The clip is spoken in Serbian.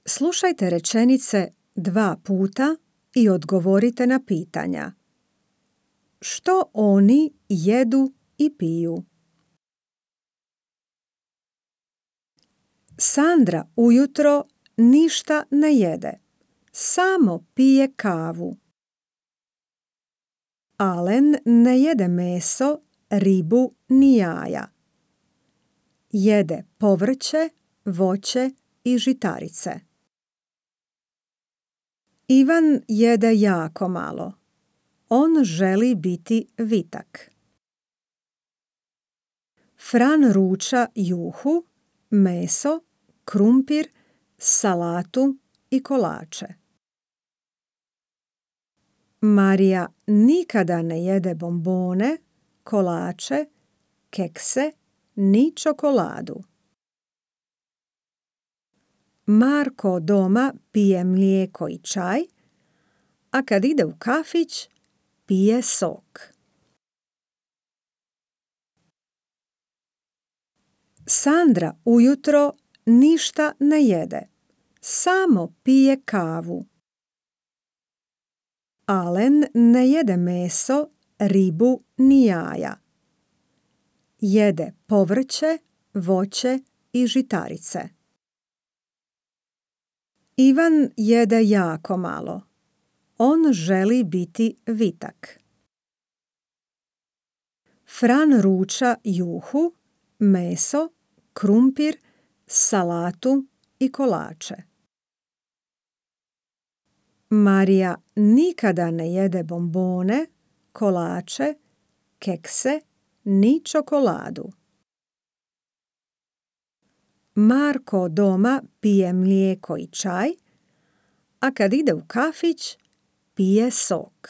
Slušajte rečenice 2 puta i odgovorite na pitanja. Što oni jedu i piju? Sandra ujutro ništa ne jede, samo pije kavu. Alen ne jede meso, ribu ni jaja. Jede povrće, voće i žitarice. Ivan jede jako malo. On želi biti vitak. Fran ruča juhu, meso, krumpir, salatu i kolače. Marija nikada ne jede bombone, kolače, kekse ni čokoladu. Marko doma pije mlijeko i čaj, a kad ide u kafić, pije sok. Sandra ujutro ništa ne jede, samo pije kavu. Alen ne jede meso, ribu ni jaja. Jede povrće, voće i žitarice. Ivan jede jako malo. On želi biti vitak. Fran ruča juhu, meso, krumpir, salatu i kolače. Marija nikada ne jede bombone, kolače, kekse ni čokoladu. Marko doma pije mlijeko i čaj, a kad ide u kafić, pije sok.